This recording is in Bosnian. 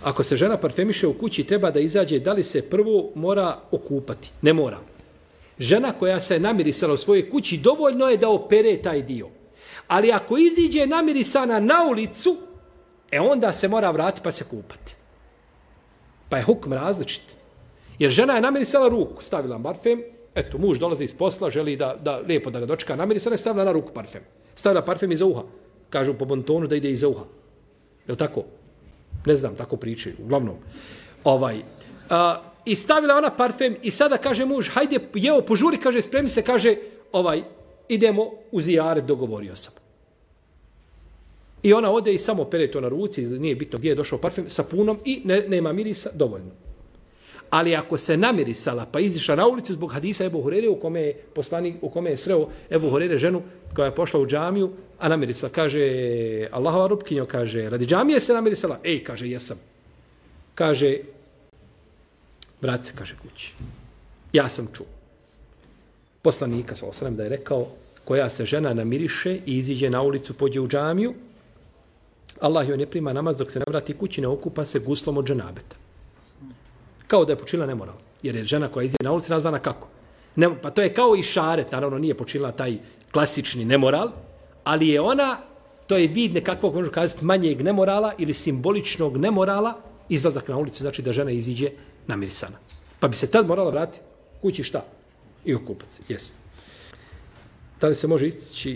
Ako se žena parfemiše u kući, treba da izađe, da li se prvo mora okupati? Ne mora. Žena koja se namirisala u svojoj kući, dovoljno je da opere taj dio. Ali ako iziđe namirisana na ulicu, onda se mora vratiti pa se kupati. Pa je hukm različit. Jer žena je namirisala ruku, stavila parfem, eto, muž dolazi iz posla, želi da lijepo da ga dočeka namirisana, je stavila na ruku parfem. Stavila parfem iza uha. Kažu po bontonu da ide iza uha. Je li tako? Ne znam, tako pričaju. Uglavnom. I stavila ona parfem i sada kaže muž, hajde, jevo, požuri, kaže, spremi se, kaže, idemo u zijaret, dogovorio sam. I ona ode i samo pere to na ruci, nije bitno gdje je došao parfem, sapunom i nema mirisa, dovoljno. Ali ako se namirisala pa izišla na ulicu zbog hadisa Ebu Hurere u kome je sreo Ebu Hurere ženu koja je pošla u džamiju, a namirisala, kaže, Allahova rupkinjo, kaže, radi džamije se namirisala? Kaže, jesam. Kaže, vrati se, kaže, kući. Ja sam čuo. Poslanika, sallallahu da je rekao, koja se žena namiriše i iziđe na ulicu, pođe u džamiju, Allah joj ne prima namaz dok se ne vrati kući, ne okupa se guslom od dženabeta. Kao da je počinila nemoral. Jer je žena koja iziđe na ulici nazvana kako? Pa to je kao i šaret, naravno nije počinila taj klasični nemoral, ali je ona, to je vid nekakvog, možemo kazati, manjeg nemorala ili simboličnog nemorala, izlazak na ulicu, znači da žena iziđe namirisana. Pa bi se tad morala vratiti kući šta? I okupat se, jes. Da li se može ići